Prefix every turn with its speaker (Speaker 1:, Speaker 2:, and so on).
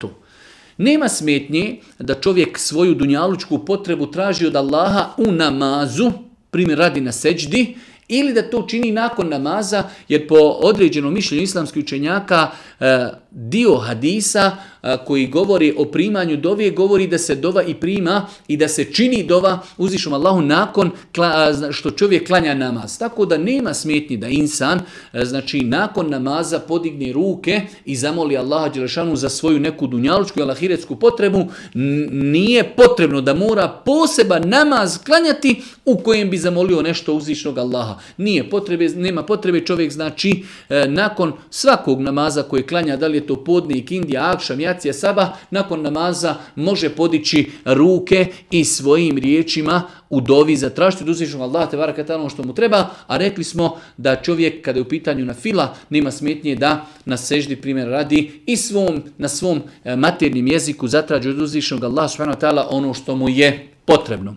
Speaker 1: to. Nema smetnje da čovjek svoju dunjalučku potrebu traži od Allaha u namazu, primjer radi na seđdi, ili da to čini nakon namaza, jer po određenom mišljenju islamskih učenjaka dio hadisa koji govori o primanju dove, govori da se dova i prima i da se čini dova uzvišenom Allahu nakon što čovjek klanja namaz. Tako da nema smetnji da insan nakon namaza podigne ruke i zamoli Allaha dželešanu za svoju neku dunjalučku ili ahiretsku potrebu. Nije potrebno da mora poseban namaz klanjati u kojem bi zamolio nešto uzvišenog Allaha. Nema potrebe, čovjek nakon svakog namaza koji klanja, da li je to podne, ikindija, akšam, jacija, sabah, nakon namaza može podići ruke i svojim riječima u dovi zatražiti od uzvišenog Allaha te baraka ta'ala ono što mu treba, a rekli smo da čovjek kada je u pitanju na fila nema smetnje da na seždi primjer radi i na svom maternjem jeziku zatraži od uzvišenog Allaha subhanahu wa ta'ala ono što mu je potrebno.